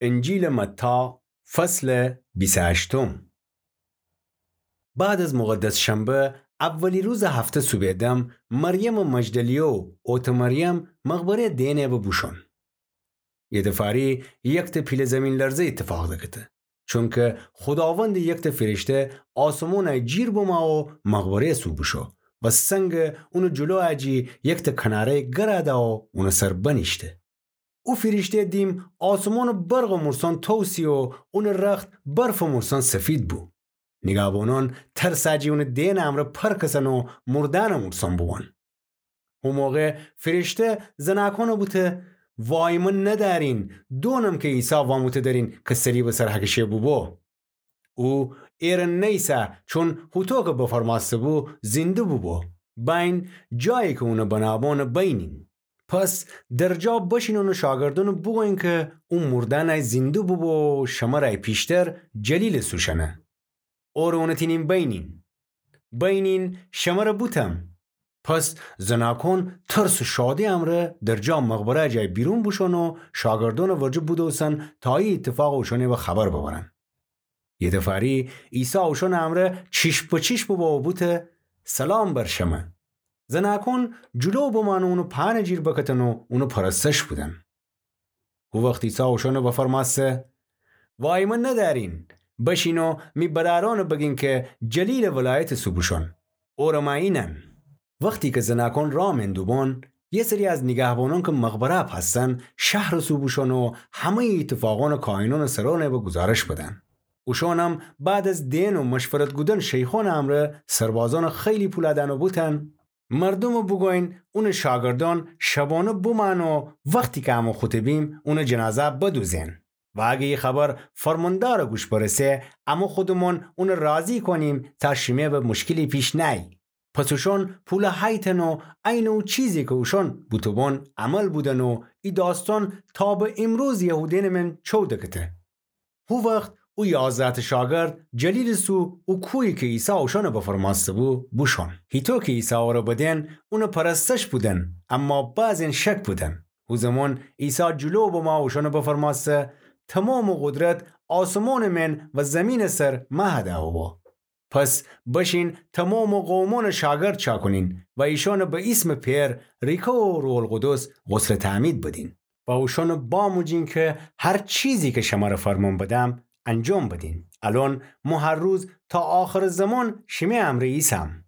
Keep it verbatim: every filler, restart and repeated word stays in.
انجیلٚ متی، فصلٚ بیست و هشتم. بعد از مقدس شنبه، اولی روزٚ هفته صوبٚ دم، مریمٚ مجدلیه و اوطٚ مریم مقبره دئنه و بوشون. ایتأ فری یکتأ پیله زیمین‌لرزه ایتفاق دکته. چونکه خوداوندٚ یکتأ فیرشته آسمونَ جیر بما و مقبره سو بوشو و سنگَ اونٚ جلو اجی یکتأ کناره‌یٚ گرَ دا و اونٚ سر بنیشته. او فیرشته دیم آسمونٚ برقٚ مورسان توسی و اونٚ رخت برفٚ مورسان سفید بو. نیگهبانان ترسٚ اجی اونٚ دئنٚ امرأ پرکسن و مردأنٚ مورسان بووان. او موقع فیرشته زنأکانَ بوته: وای من ندأرین، دونم که عیسی واموته درین که صلیبٚ سر هکشه بوبو. او ایرأ نیسه، چون هوطو که بفرمأسته بو، زینده بوبو. بأیین جایی که اونٚ بنأبانَ بینین. پس درجا بشین اونٚ شاگردأنَ بوگویین که او مردأنَ زینده بوبو و شمرَ پیشتر جلیلٚ سو شنه. اورَ اونٚ تینیم بینین. بینین شمرَ بوتم. پس زنأکان ترس و شادی امرأ درجا مقبره جای بیرون بوشون و شاگردأنٚ ورجه بودوسن تا ای ایتفاقَ اوشأنٚ وأ خبر ببرن. ایتأ فری عیسی اوشأنٚ امرأ چیشم به چیشم ببو و بوته: سلام بر شمه. زنأکان جلو بمأن و اونٚ پأنٚ جیر بکتن و اونٚ پرستش بودن. هو وخت عیسی اوشأنَ وفرمأسته: وای من ندأرین، بشین و می برأرأنَ بگین که جلیلٚ ولایتٚ سو بوشون. اورَ مأیینن. وختی که زنأکان راه من دوبون، یه سری از نیگهبانان که مقبره پأسن، شهرٚ سو بوشون و همه‌یٚ ایتفاقأنَ کاهنأنٚ سرأنَ وأ گزارش بدن. اوشأنم بعد از دئن و مشورت کودن شیخأنٚ امرأ سربازأنَ خیلی پول دأن و بوتن: مردومَ بوگویین اونٚ شاگردأن شبأنه بمأن و وختی که امه خوطه بیم اونٚ جنازه بدوزین. و اگه ای خبر فرماندارٚ گوش برسه، امه خودمأن اونَ راضی کونیم تا شیمه وأ مشکلی پیش نأیی. پس اوشأن پول هیتن و عینٚ او چیزی که اوشأن بوتوبون عمل بودن و ای داستأن تا به ایمروز یهودیأنٚ من چو دکته. هو وخت او یازده‌تأ شاگرد جلیلٚ سو او کویی که عیسی اوشأنَ بفرمأسته بو، بوشون. هیطو که عیسی اورَ بدئن، اونٚ پرستش بودن، اما بعضی‌یأن شک بودن. هو زمان عیسی جلو بما اوشأنَ بفرمأسته: تمامٚ قدرت آسمانٚ من و زیمینٚ سر مه دأ ببو. پس بشین تمامٚ قومأنَ شاگرد چاکونین و ایشأنَ به ایسمٚ پئر ریکه و روح‌القدس غسلٚ تعمید بدین. و اوشأنَ باموجین که هر چیزی که شمره فرمأن بدم، انجام بدین. الأن مو هر روز تا آخرٚ زمان شیمه امرأ ایسم.